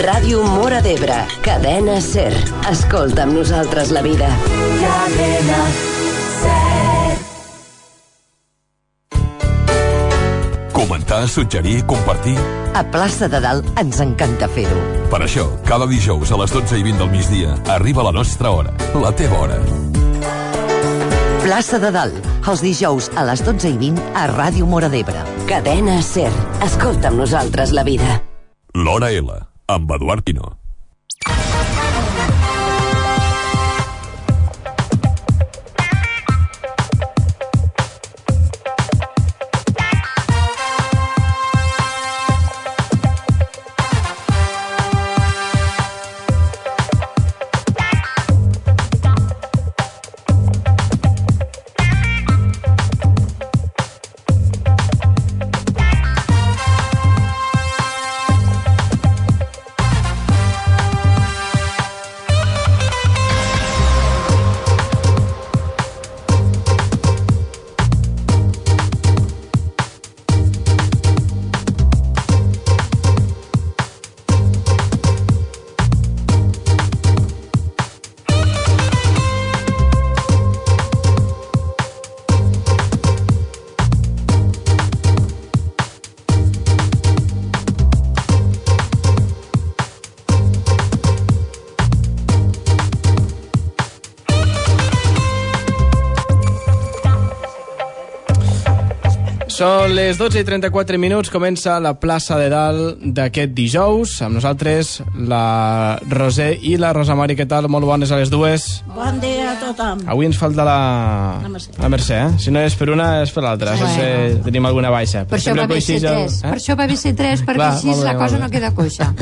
Ràdio Móra d'Ebre, Cadena SER. Escolta amb nosaltres la vida. Cadena SER. Comentar, suggerir, compartir. A Plaça de Dalt ens encanta fer-ho. Per això, cada dijous a les 12:20 del migdia arriba la nostra hora, la teva hora. Plaça de Dalt, els dijous a les 12:20 a Ràdio Móra d'Ebre. Cadena SER. Escolta amb nosaltres la vida. L'Hora L, amb Eduard Quino. Són les 12:34, comença la plaça de Dalt d'aquest dijous. Amb nosaltres la Roser i la Rosa Mari. Què tal? Molt bones a les dues. Bon dia a tothom. Avui ens falta la Mercè, Si no és per una, és per l'altra. Si tenim alguna baixa. Per això va bé ser 3, perquè clar, així la cosa no queda coixa.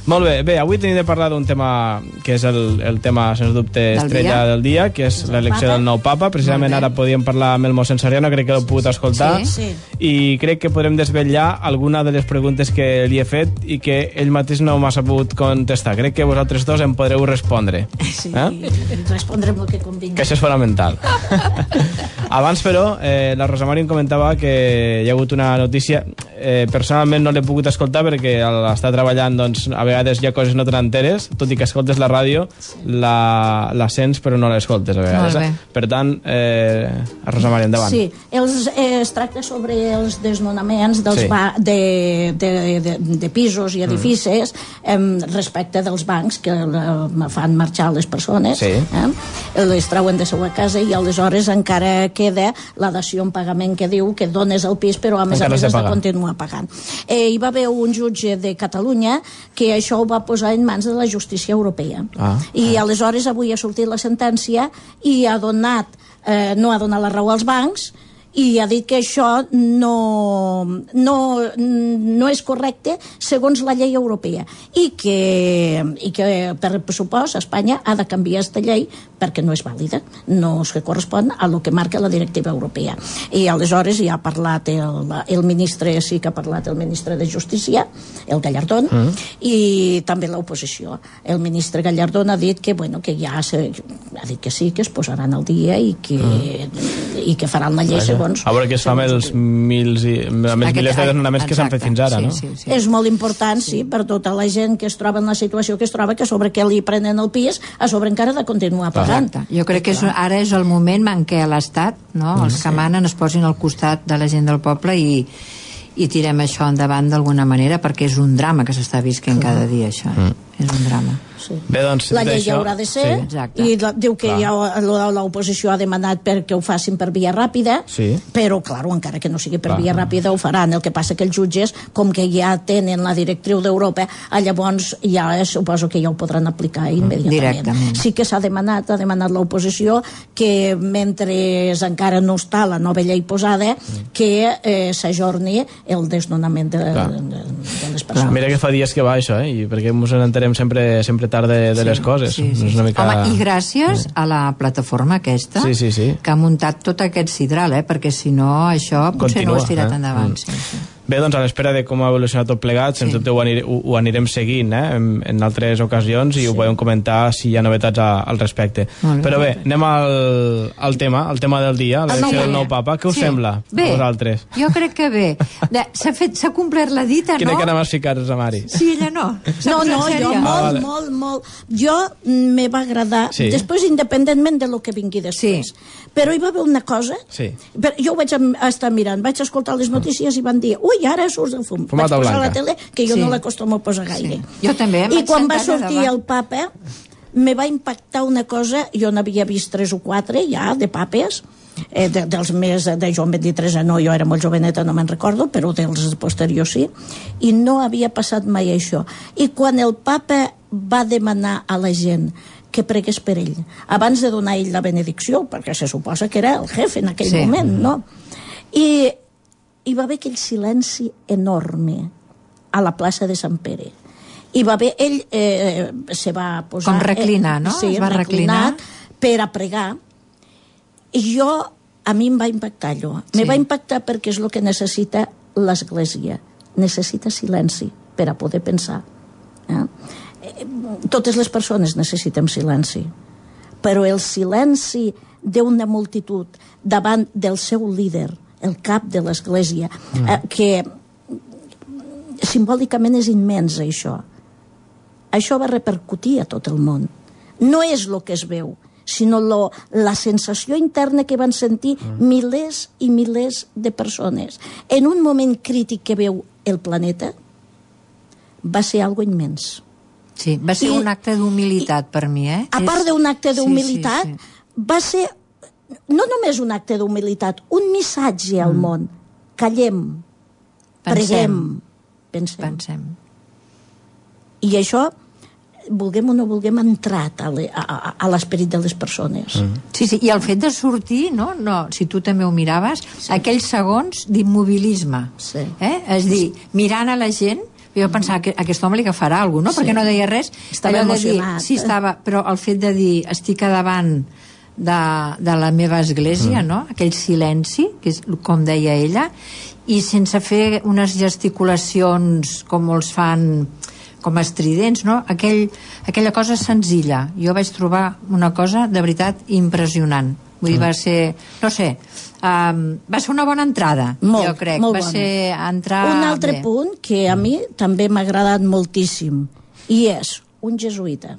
Molt bé, avui tenim de parlar d'un tema que és el tema, sens dubte, estrella del dia, que és l'elecció del nou papa. Precisament ara podíem parlar amb el mossèn Soriano, crec que l'heu pogut escoltar. Sí. I crec que podrem desvetllar alguna de les preguntes que li he fet i que ell mateix no m'ha sabut contestar. Crec que vosaltres dos em podreu respondre. Sí, respondrem el que convingui. Que això és fonamental. Abans, però, la Rosa Mari em comentava que hi ha hagut una notícia. Personalment no l'he pogut escoltar perquè al estar treballant, doncs, a vegades hi ha coses no tan enteres, tot i que escoltes la ràdio, la sents però no l'escoltes a vegades. Per tant, Rosa Mari, endavant. Sí, es tracta sobre els desnonaments dels de pisos i edificis respecte dels bancs que fan marxar les persones, les trauen de seva casa i aleshores encara queda la dació en pagament que diu que dones el pis però a més has de continuar pagant. Hi va haver un jutge de Catalunya que això ho va posar en mans de la justícia europea i aleshores avui ha sortit la sentència i no ha donat la raó als bancs i ha dit que això no és correcte segons la llei europea i que per pressupost Espanya ha de canviar aquesta llei perquè no és vàlida, no es correspon a lo que marca la directiva europea. I aleshores ja ha parlat el ministre, sí que ha parlat el ministre de Justícia, el Gallardón, i també l'oposició. El ministre Gallardón ha dit que, ha dit que sí, que es posaran al dia i que faran la llei segons... A veure què es fa amb els milers de desnonaments que s'han fet fins ara, no? Sí. És molt important, sí, per tota la gent que es troba en la situació que es troba, que a sobre que li prenen el pis, a sobre encara de continuar pagant. Jo crec que ara és el moment en què l'Estat, els que manen, es posin al costat de la gent del poble i tirem això endavant d'alguna manera, perquè és un drama que s'està visquent cada dia, això. És un drama. Sí. Bé, doncs, la llei haurà de ser i diu que l'oposició ha demanat perquè ho facin per via ràpida, però, clar, encara que no sigui per via ràpida ho faran. El que passa que els jutges, com que ja tenen la directriu d'Europa, llavors ja suposo que ja ho podran aplicar immediatament. Directament. Sí que ha demanat l'oposició que mentre encara no està la nova llei posada que s'ajorni el desnonament de les persones. Mira que fa dies que va això, i perquè ens enterem sempre tard de les coses. Home, i gràcies a la plataforma aquesta que ha muntat tot aquest sidral, perquè si no això potser no ho has tirat endavant. Bé, doncs a l'espera de com ha evolucionat tot plegat, sens dubte ho anirem seguint en altres ocasions i ho podem comentar si hi ha novetats al respecte. Però bé, anem al tema del dia, l'elecció del nou papa. Què us sembla a vosaltres? Jo crec que bé. S'ha complert la dita, no? Quina cara m'has ficat, Rosamari? Sí, ella no. No, jo molt. Jo me va agradar, després independentment de lo que vingui després. Però hi va haver una cosa, jo ho vaig estar mirant, vaig escoltar les notícies i van dir, ui, ara surts el fum. Vaig posar a la tele, que jo no l'acostumo a posar gaire. Jo també. I quan va sortir el papa, me va impactar una cosa, jo n'havia vist 3 o 4 ja, de papes, dels més de Joan XXIII no, jo era molt joveneta, no me'n recordo, però dels posteriors sí, i no havia passat mai això. I quan el papa va demanar a la gent que pregués per ell, abans de donar ell la benedicció, perquè se suposa que era el jefe en aquell moment, no? I hi va haver aquell silenci enorme a la plaça de Sant Pere. I va haver, ell se va posar... Com reclinar, no? Sí, reclinat per a pregar. I a mi em va impactar allò. Me va impactar perquè és el que necessita l'Església. Necessita silenci per a poder pensar. Totes les persones necessitem silenci. Però el silenci d'una multitud davant del seu líder, el cap de l'Església, que simbòlicament és immens, això. Això va repercutir a tot el món. No és el que es veu, sinó la sensació interna que van sentir milers i milers de persones. En un moment crític que veu el planeta, va ser algo immens. Sí, va ser un acte d'humilitat per mi, A part d'un acte d'humilitat, va ser no només un acte d'humilitat, un missatge al món. Callem, preguem, pensem. I això, vulguem o no vulguem, ha entrat a l'esperit de les persones. Sí, i el fet de sortir, no, si tu també ho miraves, aquells segons d'immobilisme. És dir, mirant a la gent, jo pensava que aquest home li agafarà alguna cosa, no? Perquè no deia res. Estava emocionat. Sí, estava, però el fet de dir, estic a davant de la meva església, no? Aquell silenci, que és com deia ella, i sense fer unes gesticulacions com els fan com estridents, no? Aquella cosa senzilla. Jo vaig trobar una cosa de veritat impressionant. Vull dir, va ser, no sé, va ser una bona entrada, jo crec. Va ser entrar... Un altre punt que a mi també m'ha agradat moltíssim, i és un jesuïta.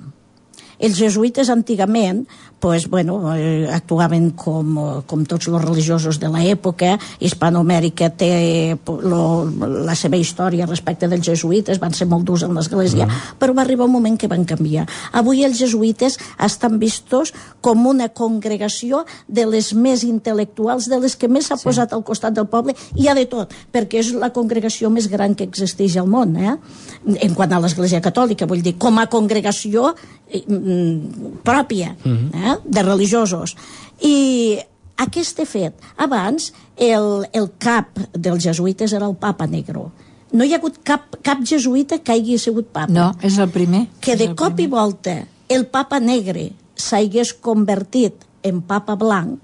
Els jesuïtes antigament actuaven com tots els religiosos de l'època. Hispanoamèrica té la seva història respecte dels jesuïtes, van ser molt durs en l'església, però va arribar un moment que van canviar. Avui els jesuïtes estan vistos com una congregació de les més intel·lectuals, de les que més s'ha posat al costat del poble. Hi ha de tot, perquè és la congregació més gran que existeix al món, en quant a l'església catòlica, vull dir, com a congregació pròpia, de religiosos. I aquest fet, abans el cap dels jesuïtes era el Papa Negro. No hi ha hagut cap jesuïta que hagi sigut papa. No, és el primer. Que de cop i volta el Papa Negre s'hagués convertit en Papa Blanc,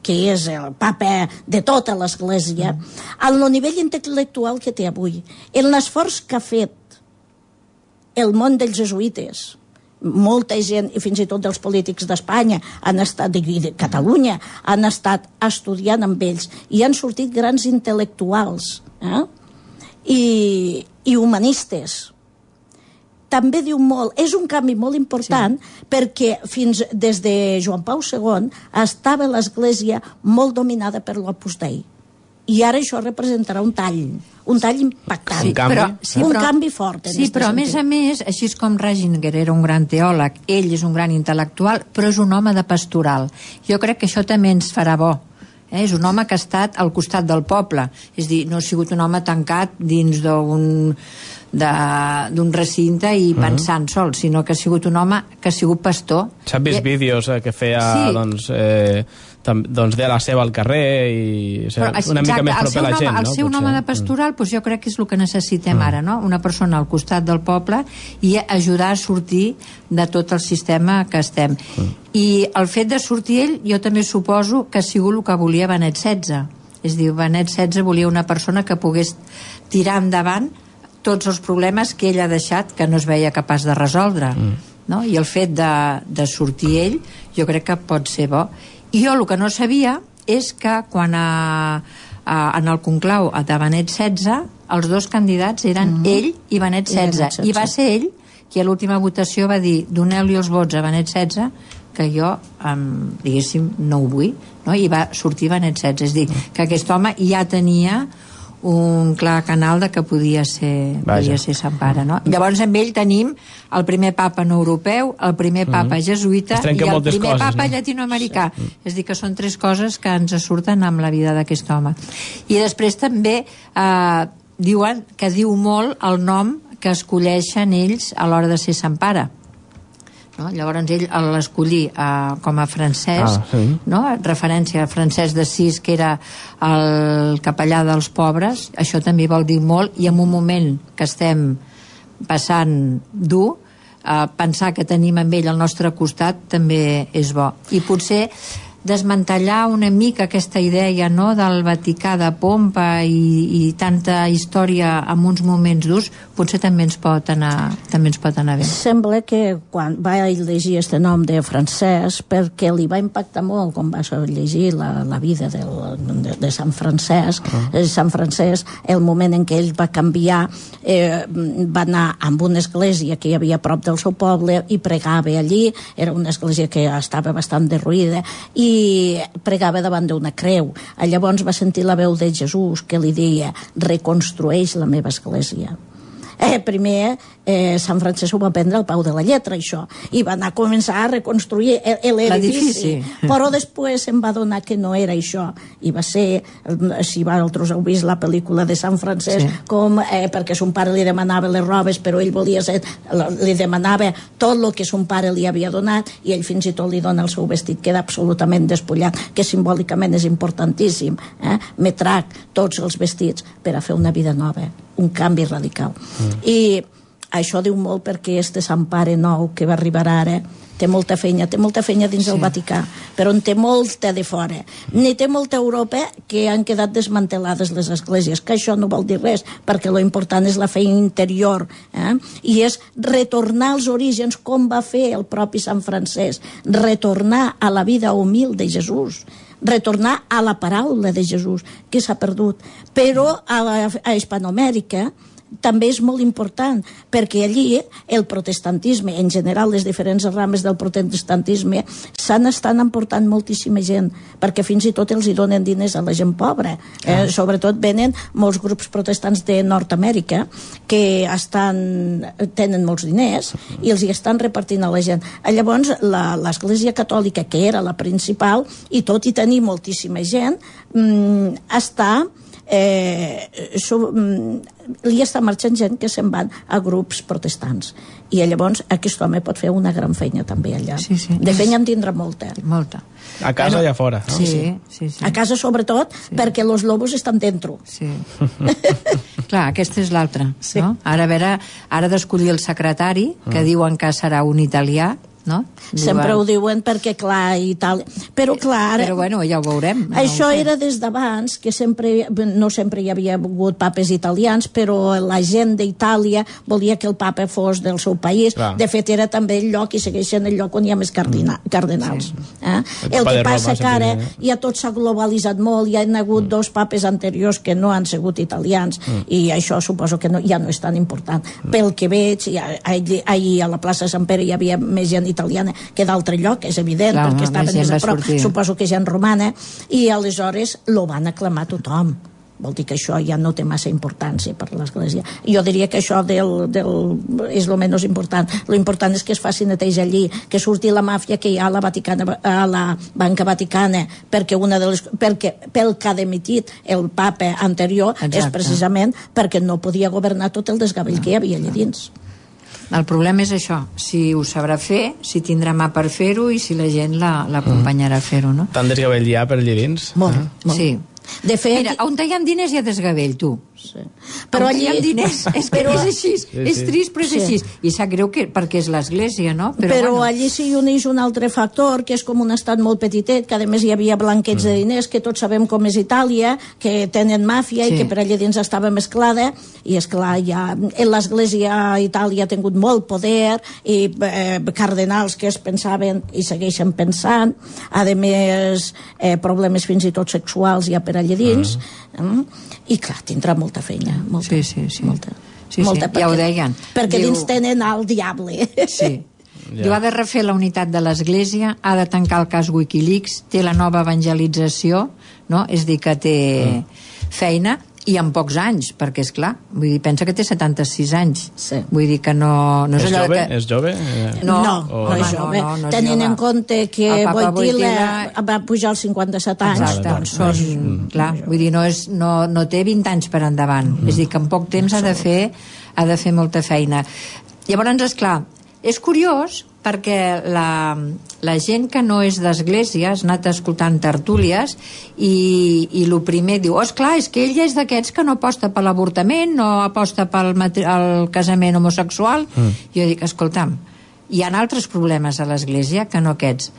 que és el papa de tota l'església, al nivell intel·lectual que té avui, en l'esforç que ha fet el món dels jesuïtes, molta gent, i fins i tot dels polítics d'Espanya han estat, de Catalunya, han estat estudiant amb ells i han sortit grans intel·lectuals i humanistes. També diu molt, és un canvi molt important, perquè fins des de Joan Pau II estava l'Església molt dominada per l'Opus Dei, i ara això representarà un tall impactant, un canvi fort. Sí, però a més, així com Ratzinger era un gran teòleg, ell és un gran intel·lectual, però és un home de pastoral. Jo crec que això també ens farà bo. És un home que ha estat al costat del poble, és a dir, no ha sigut un home tancat dins d'un recinte i pensant sol, sinó que ha sigut un home que ha sigut pastor. S'han vist vídeos que feia doncs de la seva al carrer i una mica més proper a la gent. El ser un home de pastoral, jo crec que és el que necessitem ara, no? Una persona al costat del poble i ajudar a sortir de tot el sistema que estem. I el fet de sortir ell, jo també suposo que ha sigut el que volia Benet XVI. És dir, Benet XVI volia una persona que pogués tirar endavant tots els problemes que ell ha deixat que no es veia capaç de resoldre, no? I el fet de sortir ell jo crec que pot ser bo. I jo el que no sabia és que quan en el conclau de Benet XVI els dos candidats eren ell i Benet XVI, i va ser ell qui a l'última votació va dir doneu-li els vots a Benet XVI que jo, diguéssim, no ho vull, no? I va sortir Benet XVI. És dir, que aquest home ja tenia un clar canal de que podia ser Sant Pare, no? Llavors amb ell tenim el primer papa no europeu, el primer papa jesuïta i el primer papa llatinoamericà. És dir, que són tres coses que ens surten amb la vida d'aquest home. I després també diuen que diu molt el nom que escolleixen ells a l'hora de ser Sant Pare. No? Llavors ell l'escollí com a Francesc, no? Referència a Francesc d'Assís, que era el capellà dels pobres. Això també vol dir molt, i en un moment que estem passant dur, pensar que tenim amb ell al nostre costat també és bo. I potser desmantellar una mica aquesta idea, no?, del Vaticà de pompa i tanta història en uns moments durs, potser també ens pot anar bé. Sembla que quan va llegir este nom de Francesc, perquè li va impactar molt quan va llegir la vida de Sant Francesc. Sant Francesc, el moment en què ell va canviar, va anar amb una església que hi havia a prop del seu poble i pregava allí. Era una església que estava bastant derruïda i pregava davant d'una creu. Llavors va sentir la veu de Jesús que li deia: reconstrueix la meva església. Primer Sant Francesc ho va prendre al peu de la lletra, això, i va anar a començar a reconstruir l'edifici, però després se'n va adonar que no era això, i va ser, si vosaltres heu vist la pel·lícula de Sant Francesc, com perquè son pare li demanava les robes, però ell volia ser, li demanava tot el que son pare li havia donat, i ell fins i tot li dona el seu vestit, queda absolutament despullat, que simbòlicament és importantíssim. Me trac tots els vestits per a fer una vida nova, un canvi radical. I això diu molt, perquè este Sant Pare nou que va arribar ara té molta feina dins del Vaticà, però en té molta de fora. Ni té molta a Europa, que han quedat desmantelades les esglésies, que això no vol dir res, perquè lo important és la feina interior, i és retornar als orígens, com va fer el propi Sant Francesc, retornar a la vida humil de Jesús, retornar a la paraula de Jesús, que s'ha perdut. Però a Hispanoamèrica també és molt important, perquè allí el protestantisme, en general les diferents rames del protestantisme, estan emportant moltíssima gent, perquè fins i tot els hi donen diners a la gent pobra. Sobretot venen molts grups protestants de Nord-Amèrica que tenen molts diners i els hi estan repartint a la gent. Llavors l'Església Catòlica, que era la principal, i tot i tenir moltíssima gent, li està marxant gent que se'n van a grups protestants, i llavors aquest home pot fer una gran feina també allà. De feina en tindrà molta. A casa i a fora, no? Sí. A casa sobretot, perquè los lobos estan dentro. Clar, aquesta és l'altra, no? Ara d'escollir el secretari, que diuen que serà un italià, no? Sempre ho diuen perquè, clar, Itàlia... Però, clar... Però, bueno, ja ho veurem. Això era des d'abans, que no sempre hi havia hagut papes italians, però la gent d'Itàlia volia que el papa fos del seu país. De fet, era també el lloc, i segueix sent el lloc on hi ha més cardenals. El que passa que ara ja tot s'ha globalitzat molt, hi ha hagut dos papes anteriors que no han sigut italians, i això suposo que ja no és tan important. Pel que veig, ahir a la plaça Sant Pere hi havia més gent italiana que d'altre lloc, és evident, perquè estaven més a prop, suposo que gent romana, i aleshores lo van aclamar tothom. Vol dir que això ja no té massa importància per l'Església. Jo diria que això és el menys important. Lo important és que es faci neteja allí, que surti la màfia que hi ha a la Banca Vaticana, perquè pel que ha demitit el papa anterior és precisament perquè no podia governar tot el desgavell que hi havia allà dins. El problema és això, si ho sabrà fer, si tindrà mà per fer-ho i si la gent l'acompanyarà a fer-ho, no? Tant desgavell hi ha per allà dins? Molt. Sí. De fet... Mira, on hi ha diners hi ha desgavell, tu. Però allí hi ha diners, és que és així, és trist però és així, i sap greu perquè és l'església, no? Però allí s'hi uneix un altre factor, que és com un estat molt petitet, que a més hi havia blanqueig de diners, que tots sabem com és Itàlia, que tenen màfia i que per allà dins estava mesclada, i esclar, ja l'església a Itàlia ha tingut molt poder, i cardenals que es pensaven i segueixen pensant, a més problemes fins i tot sexuals ja per allà dins, i clar, tindrà molta feina, molta, molta, ja ho deien, perquè dins tenen el diable. Diu, ha de refer la unitat de l'Església, ha de tancar el cas Wikileaks, té la nova evangelització, no? És dir, que té feina, i en pocs anys, perquè és clar, vull dir, pensa que té 76 anys, vull dir que no és allò que... És jove? No és jove, tenint en compte que Wojtyla va pujar als 57 anys. Doncs són, clar, vull dir, no té 20 anys per endavant, és dir, que en poc temps ha de fer molta feina. Llavors, esclar, és curiós perquè la gent que no és d'església has anat escoltant tertúlies i el primer diu, esclar, és que ell és d'aquests que no aposta per l'avortament, no aposta pel casament homosexual. Jo dic, escolta'm, hi ha altres problemes a l'església que no aquests.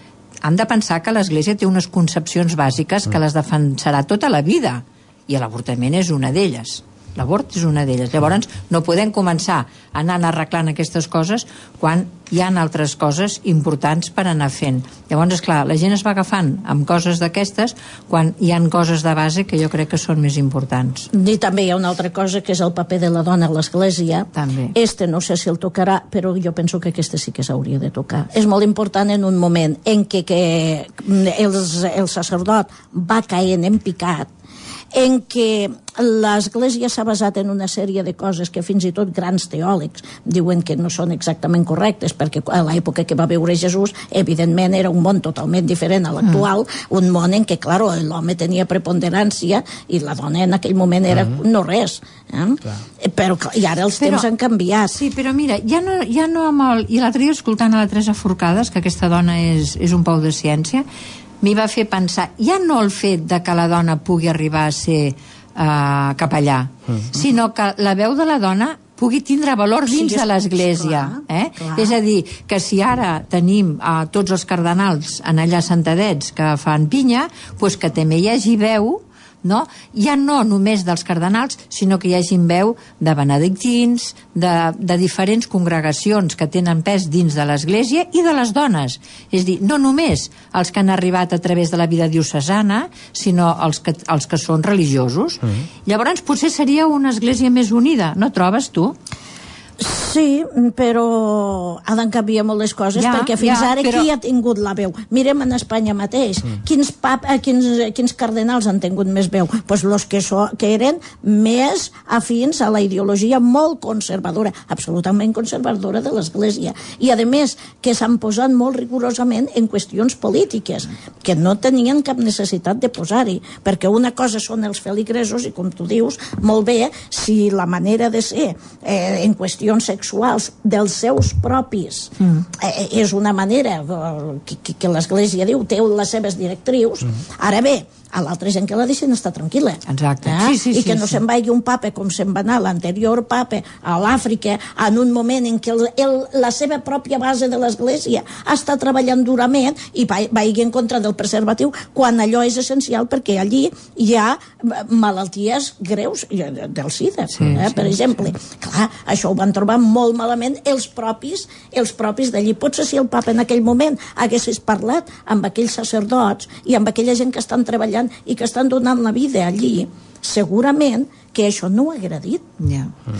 Han de pensar que l'església té unes concepcions bàsiques que les defensarà tota la vida, i l'avortament és una d'elles. L'abort és una d'elles. Llavors no podem començar anant arreglant aquestes coses quan hi ha altres coses importants per anar fent. Llavors, esclar, la gent es va agafant amb coses d'aquestes quan hi ha coses de base que jo crec que són més importants. I també hi ha una altra cosa que és el paper de la dona a l'església. També. No sé si el tocarà, però jo penso que aquesta sí que s'hauria de tocar. És molt important en un moment en què el sacerdot va caient en picat, en què l'Església s'ha basat en una sèrie de coses que fins i tot grans teòlegs diuen que no són exactament correctes, perquè a l'època que va viure Jesús, evidentment era un món totalment diferent a l'actual, un món en què, clar, l'home tenia preponderància i la dona en aquell moment era no res. Però i ara els temps han canviat. Sí, però mira, ja no amb el... I l'altre dia escoltant a la Teresa Forcades, que aquesta dona és un pou de ciència, m'hi va fer pensar, ja no el fet de que la dona pugui arribar a ser capellà, sinó que la veu de la dona pugui tindre valor dins de l'Església. És a dir, que si ara tenim tots els cardenals en allà sentadets que fan pinya, doncs que també hi hagi veu, no? Ja no només dels cardenals, sinó que hi hagi veu de benedictins, de diferents congregacions que tenen pes dins de l'Església i de les dones. És dir, no només els que han arribat a través de la vida diocesana, sinó els que són religiosos. Llavors potser seria una Església més unida, no trobes tu? Sí, però han canviat molt les coses, perquè fins ara qui ha tingut la veu? Mirem en Espanya mateix, quins cardenals han tingut més veu? Doncs els que eren més afins a la ideologia molt conservadora, absolutament conservadora de l'Església, i a més que s'han posat molt rigorosament en qüestions polítiques, que no tenien cap necessitat de posar-hi, perquè una cosa són els feligresos, i com tu dius, molt bé, si la manera de ser en qüestions sexuals dels seus propis és una manera que l'Església diu, té les seves directrius. Ara bé, a l'altra gent que la deixen està tranquil·la. Exacte. I que no se'n vagi un papa com se'n va anar l'anterior papa a l'Àfrica en un moment en què la seva pròpia base de l'Església està treballant durament i vagi en contra del preservatiu quan allò és essencial, perquè allí hi ha malalties greus del SIDA, per exemple. Clar, això ho van trobar molt malament els propis d'allí. Potser si el papa en aquell moment haguessis parlat amb aquells sacerdots i amb aquella gent que estan treballant i que estan donant la vida allí, segurament que això no ho ha agradit.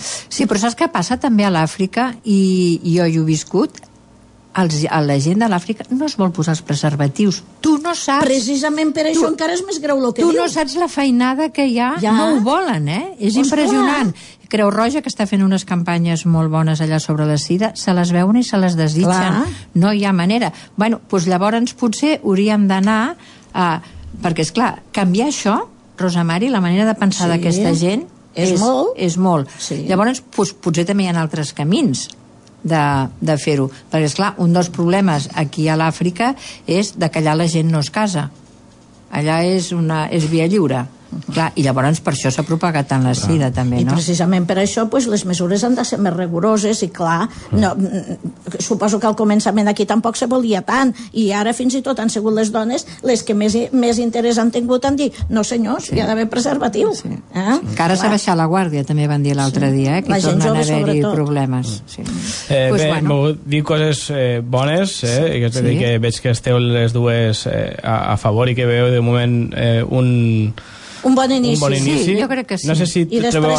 Sí, però saps què passa també a l'Àfrica, i jo hi he viscut, la gent de l'Àfrica no es vol posar els preservatius. Tu no saps... Precisament per això encara és més greu el que dius. Tu no saps la feinada que hi ha. No ho volen, És impressionant. Creu Roja, que està fent unes campanyes molt bones allà sobre la SIDA, se les veuen i se les desitgen. No hi ha manera. Bueno, doncs llavors potser hauríem d'anar a... Perquè, esclar, canviar això, Rosa Mari, la manera de pensar d'aquesta gent és molt. Llavors, potser també hi ha altres camins de fer-ho. Perquè, esclar, un dels problemes aquí a l'Àfrica és que allà la gent no es casa. Allà és via lliure. Clar, i llavors per això s'ha propagat tant la sida, també, no? I precisament per això les mesures han de ser més rigoroses i clar, suposo que al començament aquí tampoc se volia tant i ara fins i tot han sigut les dones les que més interès han tingut en dir no senyors, hi ha d'haver preservatiu. Que ara s'ha baixat la guàrdia, també van dir l'altre dia, que tornen a haver-hi problemes. Bé, m'ho dic coses bones, que veig que esteu les dues a favor i que veu de moment un bon inici. Sí, jo crec que sí. No sé si trobeu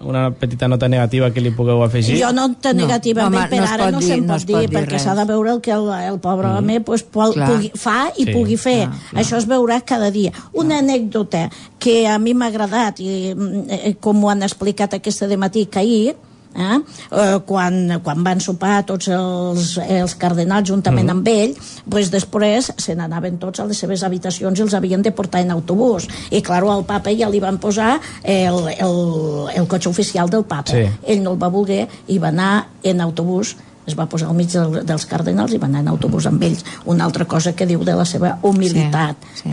una petita nota negativa que li pugueu afegir. Jo nota negativament per ara no se'n pot dir, perquè s'ha de veure el que el pobre home fa i pugui fer. Això es veurà cada dia. Una anècdota que a mi m'ha agradat i com ho han explicat aquesta dematí que ahir, quan van sopar tots els cardenals juntament amb ell, després se n'anaven tots a les seves habitacions i els havien de portar en autobús i clar, al papa ja li van posar el cotxe oficial del papa. Ell no el va voler i va anar en autobús, es va posar al mig dels cardenals i va anar en autobús amb ells. Una altra cosa que diu de la seva humilitat. Sí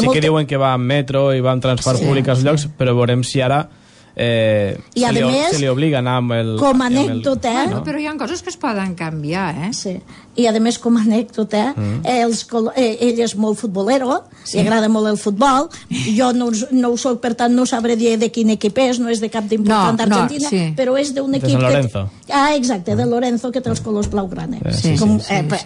que diuen que va en metro i va en transport públic als llocs, però veurem si ara se li obliga a anar amb el... Com a anècdota... Però hi ha coses que es poden canviar, Sí. I a més, com a anècdota, ell és molt futbolero, li agrada molt el futbol, jo no ho soc, per tant no sabré dir de quin equip és, no és de cap d'important d'Argentina, però és d'un equip... De San Lorenzo. Exacte, de Lorenzo, que té els colors blaugrana.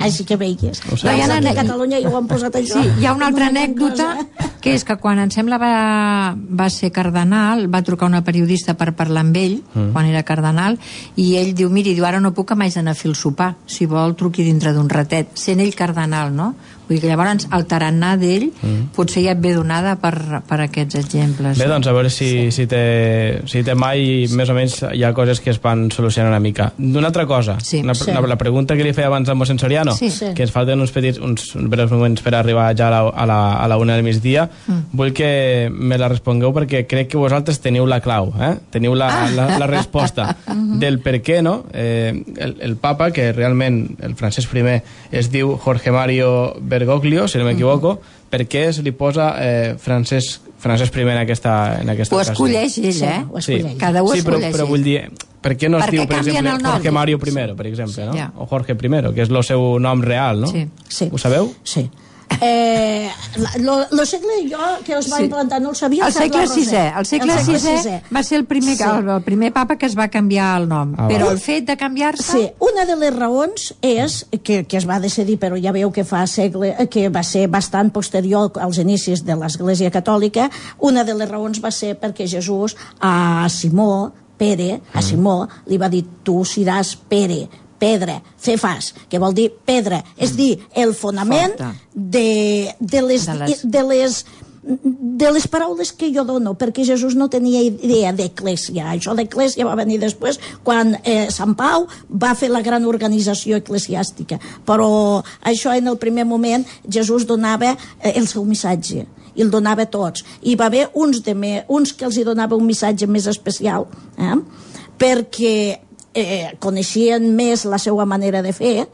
Així que veies. A Catalunya ja ho han posat això. Hi ha una altra anècdota, que és que quan em sembla va ser cardenal, va trucar una periodista per parlar amb ell, quan era cardenal, i ell diu, miri, ara no puc, m'haig d'anar a fer el sopar, si vol truqui dintre d'un ratet, sent ell cardenal, no? Vull dir que llavors el tarannà d'ell potser ja et ve donada per aquests exemples. Bé, doncs a veure si té mai més o menys hi ha coses que es van solucionar una mica. D'una altra cosa, la pregunta que li feia abans al mossèn Soriano, que ens falten uns breus moments per arribar ja a la 1 del migdia, vull que me la respongueu perquè crec que vosaltres teniu la clau, teniu la resposta del per què, no? El papa, que realment el Francesc I es diu Jorge Mario Bergoglio, si no m'equivoco, per què se li posa Francesc I en aquesta ho escolleix ell, cada un escolleix però vull dir, per què no es diu, per exemple, Jorge Mario I, per exemple, no? O Jorge I, que és el seu nom real, no? Ho sabeu? Sí. Lo segle jo que us va implantar no el sabia. El segle VI va ser el primer papa que es va canviar el nom, però el fet de canviar-se... Una de les raons és que es va decidir, però ja veieu que que va ser bastant posterior als inicis de l'Església Catòlica. Una de les raons va ser perquè Jesús a Simó Pere, li va dir tu seràs Pere, pedra, cefas, que vol dir pedra, és dir, el fonament de les paraules que jo dono, perquè Jesús no tenia idea d'eclèsia. Això d'eclèsia va venir després quan Sant Pau va fer la gran organització eclesiàstica, però això en el primer moment Jesús donava el seu missatge i el donava a tots, i va haver uns que els hi donava un missatge més especial, perquè coneixien més la seva manera de fer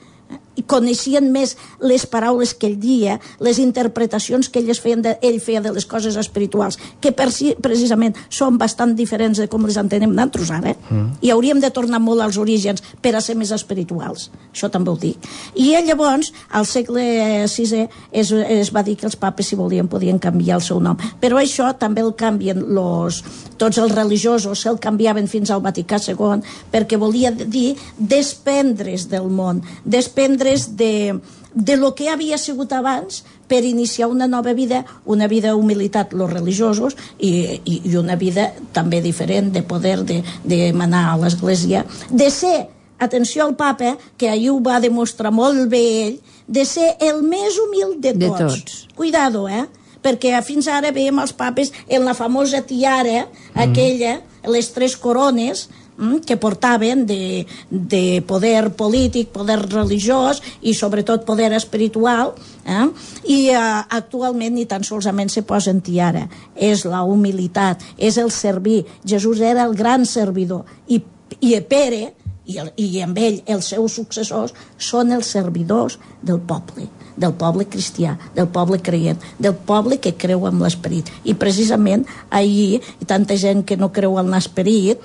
i coneixien més les paraules que ell dia, les interpretacions que ell feia de les coses espirituals, que precisament són bastant diferents de com les entenem nosaltres ara, i hauríem de tornar molt als orígens per a ser més espirituals, això també ho dic. I llavors, al segle VI es va dir que els papes, si volien, podien canviar el seu nom, però això també el canvien tots els religiosos, se'l canviaven fins al Vaticà II, perquè volia dir desprendre's del món, desprendre's de lo que havia sigut abans per iniciar una nova vida, una vida d'humilitat, los religiosos, i una vida també diferent de poder de manar a l'Església, de ser, atenció al papa, que ahir ho va demostrar molt bé ell, de ser el més humil de tots. Cuidado, perquè fins ara veiem els papes en la famosa tiara, aquella, les 3 corones, que portaven de poder polític, poder religiós i sobretot poder espiritual, i actualment ni tan solament se posen tiara, és la humilitat, és el servir. Jesús era el gran servidor, i Pere i amb ell els seus successors són els servidors del poble cristià, del poble creient, del poble que creu en l'esperit. I precisament ahir, i tanta gent que no creu en l'esperit,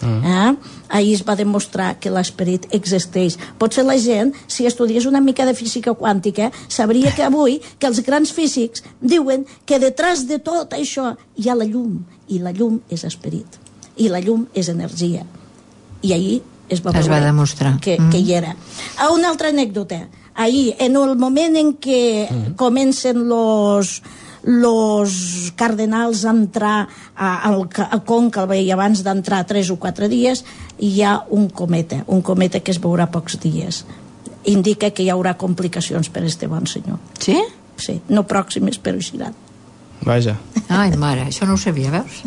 ahir es va demostrar que l'esperit existeix. Potser la gent, si estudiés una mica de física quàntica, sabria que avui que els grans físics diuen que detrás de tot això hi ha la llum, i la llum és esperit, i la llum és energia. I ahir es va demostrar que hi era. Una altra anècdota. Ahir, en el moment en què comencen los cardenals a entrar al Conca, i abans d'entrar 3 o 4 dies, hi ha un cometa que es veurà pocs dies. Indica que hi haurà complicacions per este bon senyor. Sí? Sí, no pròximes, però hi seran. Vaja. Ai, mare, això no ho sabia, veus?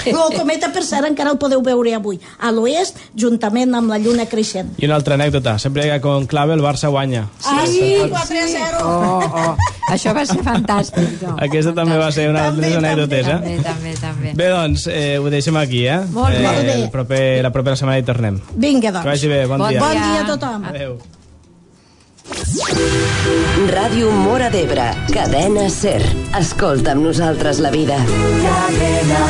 El cometa, per cert, encara el podeu veure avui a l'oest, juntament amb la lluna creixent. I una altra anècdota, sempre que con clave el Barça guanya. Sí, 4-0. Això va ser fantàstic. No? Aquesta també va ser una de les anècdotes, També. Bé, doncs, ho deixem aquí, Molt bé. La propera setmana hi tornem. Vinga, doncs. Que vagi bé, bon dia. Bon dia a tothom. Adéu. Ràdio Móra d'Ebre, cadena SER. Escolta amb nosaltres la vida. Cadena